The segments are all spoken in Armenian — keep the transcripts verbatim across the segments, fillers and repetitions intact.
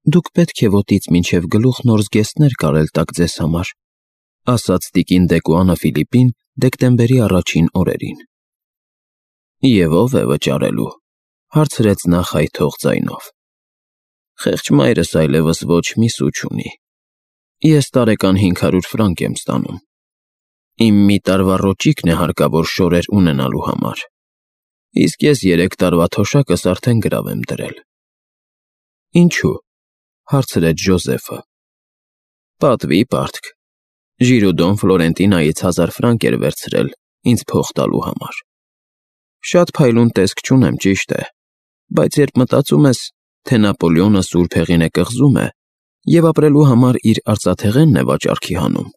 Դուք պետք է ոտից մինչև գլուխ նոր զգեստներ կարել տաք ձեզ համար, ասաց տիկին Դեկուանը Ֆիլիպին դեկտեմբերի առաջին օրերին։ Եվ ով է վճարելու, հարցրեց նա խայթող ձայնով։ Խեղճ մայրս այլևս ոչ մի սու չունի։ Ես տարեկան հինգ հարյուր ֆրանկ եմ ստանում։ Իմ մի տարվա ռոճիկն է հարկավոր շորեր ունենալու համար, իսկ ես երեք տարվա թոշակս արդեն գրավ եմ դրել։ Ինչու՞, հարցրեց Ջոզեֆը։ Պատվի պարտք։ Ժիրուդոն Ֆլորենտինայից հազար ֆրանկ էր վերցրել ինձ փող տալու համար։ Շատ փայլուն տեսք չունեմ, ճիշտ է, բայց երբ մտածում ես, թե Նապոլեոնը սուրբ հեղին է կղզում է և ապրելու համար իր արծաթեղենն է վաճառքի հանում,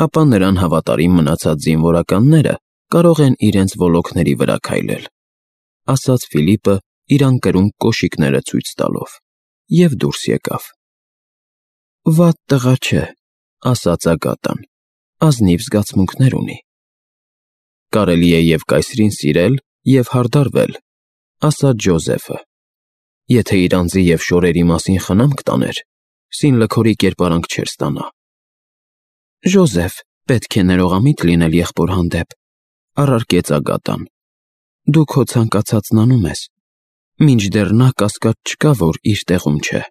ապա նրան հավատարիմ մնացած զինվորականները կարող են իրենց ոլորտների վրա քայլել, ասաց Ֆիլիպը իր անկրուն կոշիկները ցույց տալով, և դուրս եկավ։ Վատ տղա չէ, ասաց Ագատան, ազնիվ զգացմունքներ ունի։ Կարելի է և կայսրին սիրել, և հարդարվել, ասաց Ջոզեֆը։ Եթե իր անձի և շորերի մասին խնամք տաներ, Սինլքորի կերպարանք չէր ստանա։ Ջոզեֆ, պետք է ներողամիտ լինել եղբոր հանդեպ, առարկեց Ագատան։ Դու քո ցանկացածն անում ես, մինչդեռ նա կասկած չկա, որ իր տեղում չէ։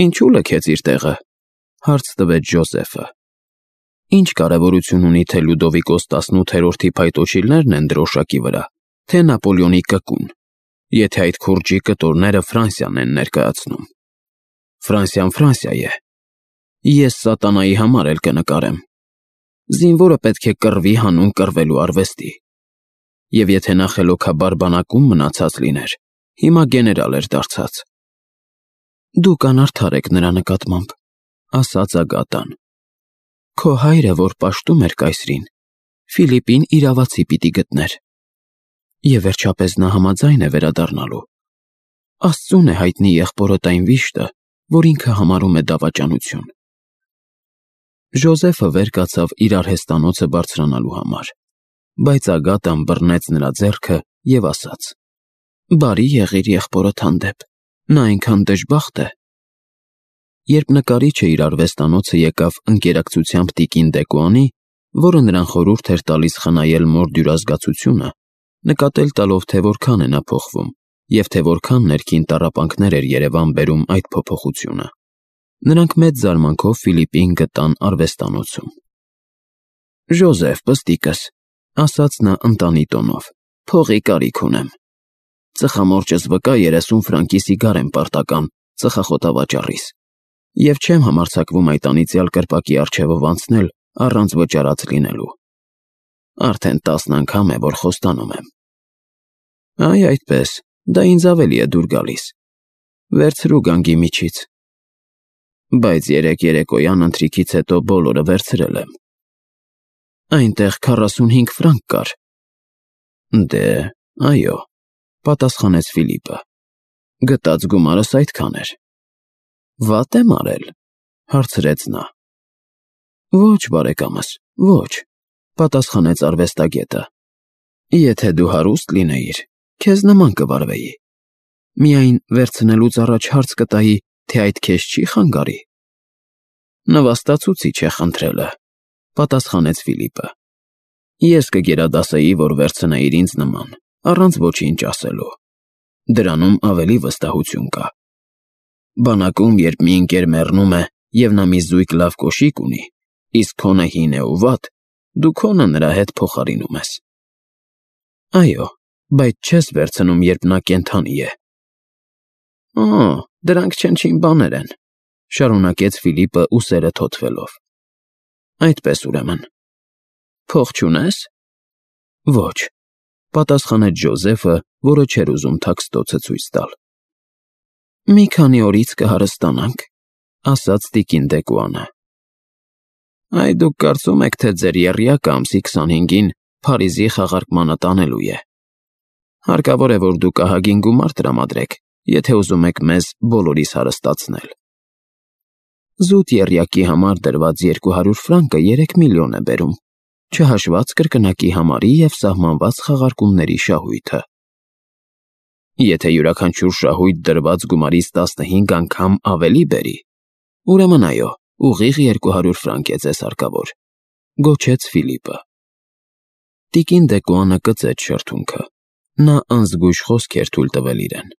Ինչու՞ լքեց իր տեղը, հարց տվեց Ջոզեֆը։ Ինչ կարևորություն ունի, թե Լյուդովիկոս տասնութերորդի փայտոջիլներն են դրոշակի վրա, թե Նապոլեոնի կկուն, եթե այդ քուրջի կտորները Ֆրանսիան են ներկայացնում։ Ֆրանսիան Ֆրանսիա է։ Ես սատանայի համար էլ կնկարեմ։ Զինվորը պետք է կռվի հանուն կռվելու արվեստի։ Եվ եթե նա խելոքաբար բանակում մնացած լիներ, հիմա գեներալ էր դարձած։ Դուք անարդար եք նրա նկատմամբ, ասաց Ագատան։ Քո հայրը, որ պաշտում էր կայսրին, Ֆիլիպին իրավացի պիտի գտներ։ Եվ վերջապես նա համաձայն է վերադառնալու։ Աստծուն է հայտնի եղբորդ այն վիշտը, որ ինքը համարում է դավաճանություն։ Ջոզեֆը վեր կացավ իր արհեստանոցը բարձրանալու համար, բայց Ագատան բռնեց նրա ձեռքը և ասաց. Բարի եղիր եղբորդ հանդեպ, նա այնքան դժբախտ է։ Երբ նկարիչը իր արվեստանոցը եկավ ընկերակցությամբ տիկին Դեկուանի, որը նրան խորհուրդ էր տալիս խնայել մոր դյուրազգացությունը, նկատել տալով, թե որքան է նա փոխվում, և թե որքան ներքին տառապանքներ էր Երևան բերում այդ փոփոխությունը, նրանք մեծ զարմանքով Ֆիլիպին գտան արվեստանոցում։ Ջոզեֆ, պստիկս, ասաց նա ընտանի տոնով, փողի կարիք ունեմ։ Ծխամորճս վկա երեսուն ֆրանկի սիգար եմ պարտական ծխախոտավաճառիս, և չեմ համարձակվում այդ անիծյալ կրպակի առջևով անցնել առանց վճարած լինելու։ Արդեն տասն անգամ է, որ խոստանում եմ։ Այ այդպես, դա ինձ ավելի է դուր գալիս։ Վերցրու գանգի միջից։ Բայց երեկ երեկոյան ընթրիքից հետո բոլորը վերցրել եմ։ Այնտեղ քառասունհինգ ֆրանկ կար։ Դե, այո, պատասխանեց Ֆիլիպը։ Գտած գումարս այդքան էր։ Վատ եմ արել, հարցրեց նա։ Ոչ, բարեկամս, ոչ, պատասխանեց արվեստագետը։ Եթե դու հարուստ լինեիր, քեզ նման կվարվեի։ Միայն վերցնելուց առաջ հարց կտայի, թե այդ քեզ չի խանգարի։ Նվաստացուցիչ է խնդրելը, պատասխանեց Ֆիլիպը։ Ես կգերադասեի, որ վերցնեիր ինձ նման, առանց ոչինչ ասելու։ Դրանում ավելի վստահություն կա։ Բանակում, երբ մի ընկեր մեռնում է, և նա մի զույգ լավ կոշիկ ունի, իսկ քոնը հին է ու վատ, դու քոնը նրա հետ փոխարինում ես։ Այո, բայց չես վերցնում, երբ նա կենդանի է։ Օ, դրանք չնչին բաներ են, շարունակեց Ֆիլիպը ուսերը թոթվելով։ Այդպես ուրեմն։ Փող չունես։ Ոչ, պատասխանեց Ջոզեֆը, որը չէր ուզում թաքստոցը ցույց տալ։ Մի քանի օրից կհարստանանք, ասաց տիկին Դեկուանը։ Այ դուք կարծում եք, թե ձեր եռյակը ամսի քսանհինգին Փարիզի խաղարկմանը տանելու է։ Հարկավոր է, որ դուք ահագին գումար տրամադրեք, եթե ուզում եք մեզ բոլորիս հարստացնել։ Զուտ եռյակի համար դրված երկու հարյուր ֆրանկը երեք միլիոն է բերում, չհաշված կրկնակի համարի և սահմանված խաղարկումների շահույթը։ Եթե յուրաքանչյուր շահույթ դրված գումարից տասնհինգ անգամ ավելի բերի, ուրեմն այո, ուղիղ երկու հարյուր ֆրանկ է ձեզ հարկավոր, գոչեց Ֆիլիպը։ Տիկին Դեկոյանը կծեց շրթունքը, նա անզգույշ խոսք էր թույլ տվել իրեն։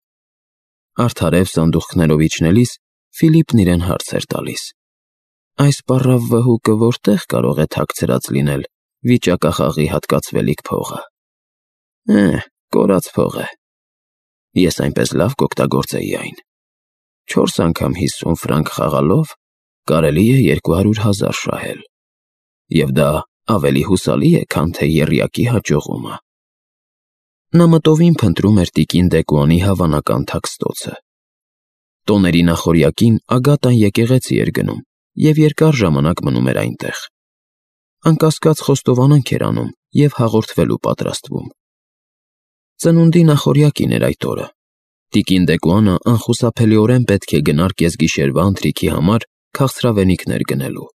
Արդարև սանդուղքներով իջնելիս Ֆիլիպն իրեն հարց էր տալիս. այս պառավ վհուկը որտեղ կարող է թաքցրած լինել վիճակախաղի հատկացվելիք փողը։ Է, կորած փող է։ Ես այնպես լավ կօգտագործեի այն։ Չորս անգամ հիսուն ֆրանկ խաղալով կարելի է երկու հարյուր հազար շահել։ Եվ դա ավելի հուսալի է, քան թե եռյակի հաջողումը։ Նա մտովին փնտրում էր տիկին Դեկոյանի հավանական թաքստոցը։ Տոների նախօրյակին Ագատան եկեղեցի էր գնում և երկար ժամանակ մնում էր այնտեղ։ Անկասկած խոստովանանք էր անում և հաղորդվելու պատրաստվում։ Ծնունդի նախօրյակին էր այդ օրը։ Տիկին Դեկոյանը անխուսափելիորեն պետք է գնար կեսգիշերվա ընթրիքի համար քաղցրավենիքներ գնելու,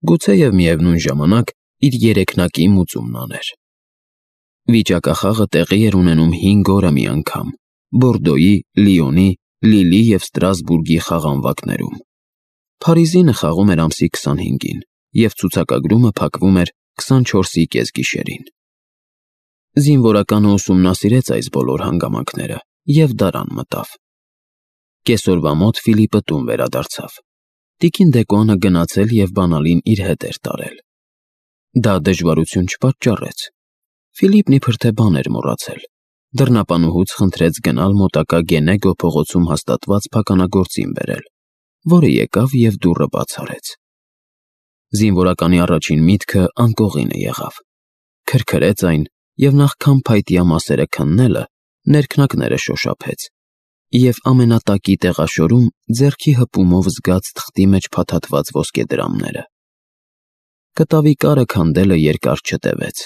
գուցեև միևնույն ժամանակ իր երեքնակի մուծումն աներ։ Վիճակախաղը տեղի էր ունենում հինգ օրը մի անգամ Բորդոյի, Լիոնի, Լիլի և Ստրասբուրգի խաղանվակներում։ Փարիզինը խաղում էր ամսի քսանհինգին և ցուցակագրումը փակվում էր քսանչորսի կեսգիշերին։ Զինվորականը ուսումնասիրեց այս բոլոր հանգամանքները և դարան մտավ։ Կեսօրվա մոտ Ֆիլիպը տուն վերադարձավ։ Տիկին Դեկոյանը գնացել և բանալին իր հետ էր տարել։ Դա դժվարություն չպատճառեց։ Ֆիլիպն իբր թե բան էր մոռացել։ Դռնապանուհուց խնդրեց գնալ մոտակա Գենեգո փողոցում հաստատված փականագործին բերել, որը եկավ և դուռը բաց արեց։ Զինվորականի առաջին միտքը անկողինը եղավ։ Քրքրեց այն և նախքան փայտյա մասերը քննելը, ներքնակները շոշափեց և ամենատակի տեղաշորում ձեռքի հպումով զգաց թղթի մեջ փաթաթված ոսկեդրամները։ Կտավի կարը քանդելը երկար չտևեց։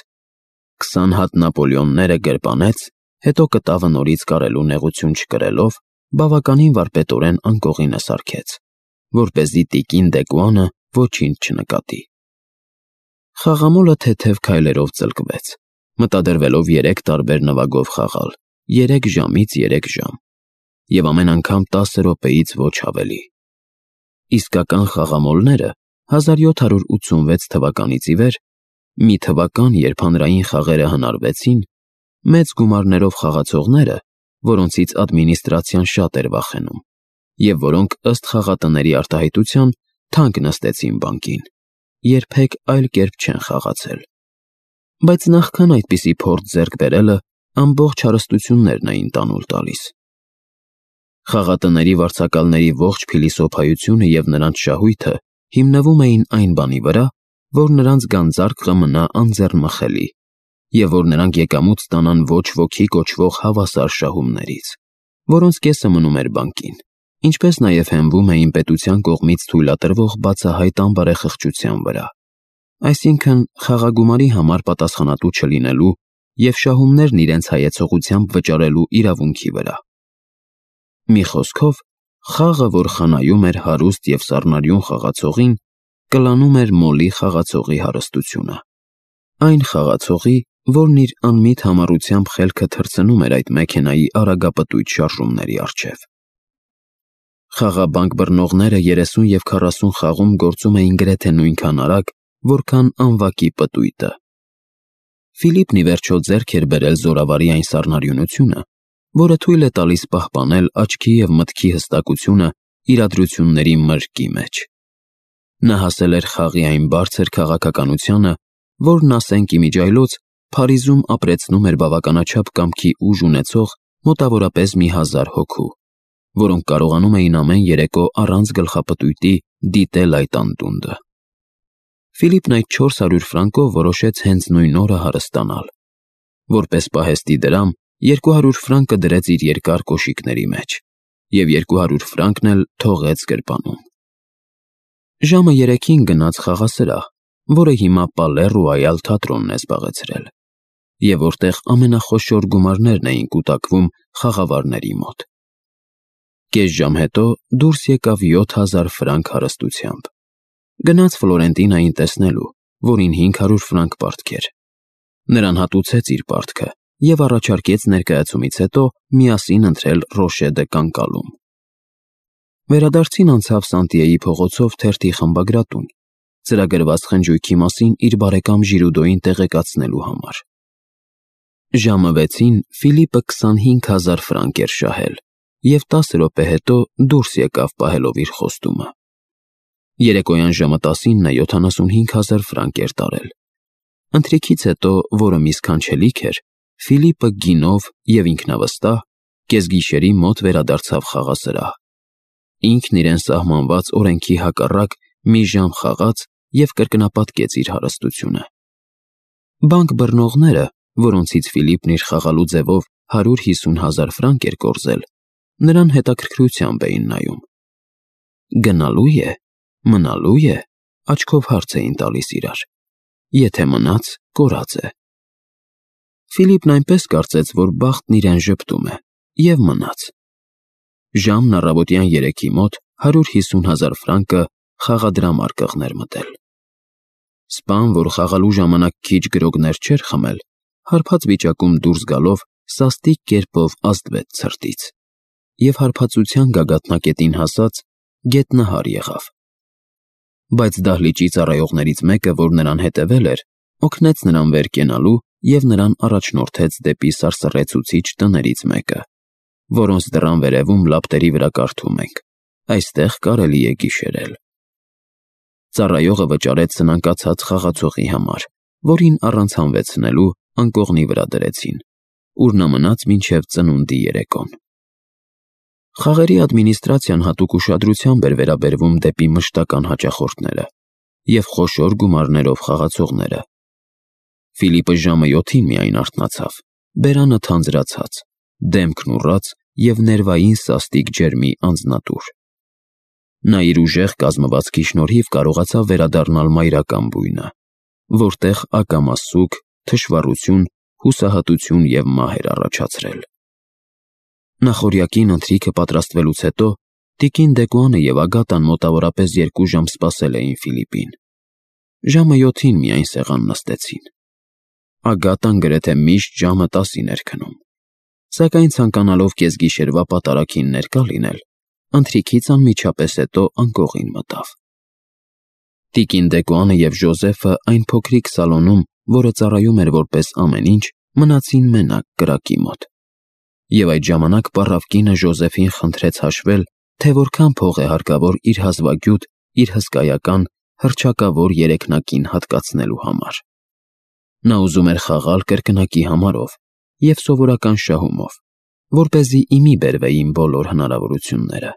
Քսան հատ Նապոլեոնները գրպանեց, հետո կտավը նորից կարելու նեղություն չկրելով, բավականին վարպետորեն անկողինը սարքեց, որպեսզի տիկին Դեկոյանը ոչինչ չնկատի։ Խաղամոլը թեթև քայլերով ծլկվեց, մտադրվելով երեք տարբեր նվագով խաղալ, երեք ժամից երեք ժամ, և ամեն անգամ տասը րոպեից ոչ ավելի։ Իսկական խաղամոլները հազար յոթ հարյուր ութսունվեց թվականից ի վեր, մի թվական, երբ հանրային խաղերը հնարվեցին, մեծ գումարներով խաղացողները, որոնցից ադմինիստրացիան շատ էր վախենում, և որոնք ըստ խաղատների արտահայտության թանկ նստեցին բանկին, երբեք այլ կերպ չեն խաղացել։ Բայց նախքան այդպիսի փորձ ձեռք բերելը ամբողջ հարստություններն էին տանուլ տալիս։ Խաղատների վարձակալների ողջ փիլիսոփայությունը և նրանց շահույթը հիմնվում էին այն բանի վրա, որ նրանց գանձարկղը մնա անձեռնմխելի, և որ նրանք եկամուտ ստանան ոչ ոքի կոչվող հավասար շահումներից, որոնց կեսը մնում էր բանկին, ինչպես նաև հենվում էին պետության կողմից թույլատրվող բացահայտ անբարեխղճության վրա, այսինքն խաղագումարի համար պատասխանատու չլինելու և շահումներն իրենց հայեցողությամբ վճարելու իրավունքի վրա։ Մի խոսքով, խաղը, որ խնայում էր հարուստ և սառնարյուն խաղացողին, կլանում էր մոլի խաղացողի հարստությունը։ Այն խաղացողի, որն իր անմիտ համառությամբ խելքը թռցնում էր այդ մեքենայի արագապտույտ շարժումների առջև։ Խաղաբանկ բռնողները երեսուն և քառասուն խաղում գործում էին գրեթե նույնքան արագ, որքան անվակի պտույտը։ Ֆիլիպն ի վերջո ձեռք էր բերել զորավարի այն սառնարյունությունը, որը թույլ է տալիս պահպանել աչքի և մտքի հստակությունը իրադրությունների մրրկի մեջ։ Նա հասել էր խաղի այն բարձր քաղաքականությանը, որն, ասենք իմիջիայլոց, Փարիզում ապրեցնում էր բավականաչափ կամքի ուժ ունեցող մոտավորապես մի հազար հոգու, որոնք կարողանում էին ամեն երեկո առանց գլխապտույտի դիտել այդ անդունդը։ Ֆիլիպն այդ չորս հարյուր ֆրանկով որոշեց հենց նույն օրը հարստանալ։ Որպես պահեստի դրամ, երկու հարյուր ֆրանկը դրեց իր երկար կոշիկների մեջ և երկու հարյուր ֆրանկն էլ թողեց գրպանում։ Ժամը երեքին գնաց խաղասրահ, որը հիմա Պալե Ռոյալ թատրոնն է զբաղեցրել, և որտեղ ամենախոշոր գումարներն էին կուտակվում խաղավարների մոտ։ Կես ժամ հետո դուրս եկավ յոթ հազար ֆրանկ հարստությամբ։ Գնաց Ֆլորենտինային տեսնելու, որին հինգ հարյուր ֆրանկ պարտք էր։ Նրան հատուցեց իր պարտքը և առաջարկեց ներկայացումից հետո միասին ընթրել Ռոշե դե Կանկալում։ Վերադարձին անցավ Սանտիեի փողոցով թերթի խմբագրատուն, ծրագրված խնջույքի մասին իր բարեկամ Ժիրուդոյին տեղեկացնելու համար։ Ժամը վեցին Ֆիլիպը քսանհինգ հազար ֆրանկ էր շահել և տասը րոպե հետո դուրս եկավ պահելով իր խոստումը։ Երեկոյան ժամը տասին նա յոթանասունհինգ հազար ֆրանկ էր տարել։ Ընթրիքից հետո, որը մի սքանչելիք էր, Ֆիլիպը գինով և ինքնավստահ կեսգիշերի մոտ վերադարձավ խաղասրահ։ Ինքն իրեն սահմանված օրենքի հակառակ մի ժամ խաղաց և կրկնապատկեց իր հարստությունը։ Բանկ բռնողները, որոնցից Ֆիլիպն իր խաղալու ձևով հարյուր հիսուն հազար ֆրանկ էր կորզել, նրան հետաքրքրությամբ էին նայում։ Գնալո՞ւ է, մնալո՞ւ է, աչքով հարց էին տալիս իրար։ Եթե մնաց, կորած է։ Ֆիլիպն այնպես կարծեց, որ բախտն իրեն ժպտում է, և մնաց։ Ժամն առավոտյան երեքի մոտ հարյուր հիսուն հազար ֆրանկը խաղադրամար կղներ մտել։ Սպան, որ խաղալու ժամանակ քիչ գրոգներ չէր խմել, հարբած վիճակում դուրս գալով սաստիկ կերպով ազդվեց ցրտից և հարբածության գագաթնակետին հասած գետնահար եղավ։ Բայց դահլիճի ծառայողներից մեկը, որ նրան հետևել էր, օգնեց նրան վեր կենալու և նրան առաջնորդեց դեպի սարսռեցուցիչ տներից մեկը, որոնց դռան վերևում լապտերի վրա կարդում ենք. «Այստեղ կարելի է գիշերել»։ Ծառայողը վճարեց սնանկացած խաղացողի համար, որին առանց հանվեցնելու անկողնի վրա դրեցին, ուր նա մնաց մինչև ծնունդի երեկոն։ Խաղերի ադմինիստրացիան հատուկ ուշադրությամբ էր վերաբերվում դեպի մշտական հաճախորդները և խոշոր գումարներով խաղացողները։ Ֆիլիպը ժամը յոթին միայն արթնացավ, բերանը թանձրացած, դեմքն ուռած և ներվային սաստիկ ջերմի անձնատուր։ Նա իր ուժեղ կազմվածքի շնորհիվ կարողացավ վերադառնալ մայրական բույնը, որտեղ ակամա սուգ, թշվառություն, հուսահատություն և մահ էր առաջացրել։ Նախօրյակին ընթրիքը պատրաստվելուց հետո տիկին Դեկուանը և Ագատան մոտավորապես երկու ժամ սպասել էին Ֆիլիպին։ Ժամը յոթին միայն սեղան նստեցին։ Ագատան գրեթե միշտ ժամը տասին էր քնում, սակայն ցանկանալով կեսգիշերվա պատարագին ներկա լինել, ընթրիքից անմիջապես հետո անկողին մտավ։ Տիկին Դեկուանը և Ժոզեֆը այն փոքրիկ սալոնում, որը ծառայում էր որպես ամեն ինչ, մնացին մենակ կրակի մոտ։ Եվ այդ ժամանակ պառավ կինը Ժոզեֆին խնդրեց հաշվել, թե որքան փող է հարկավոր իր հազվագյուտ, իր հսկայական, հռչակավոր երեքնակին հատկացնելու համար։ Նա ուզում էր խաղալ կրկնակի համարով և սովորական շահումով, որպեսզի ի մի բերվեին բոլոր հնարավորությունները։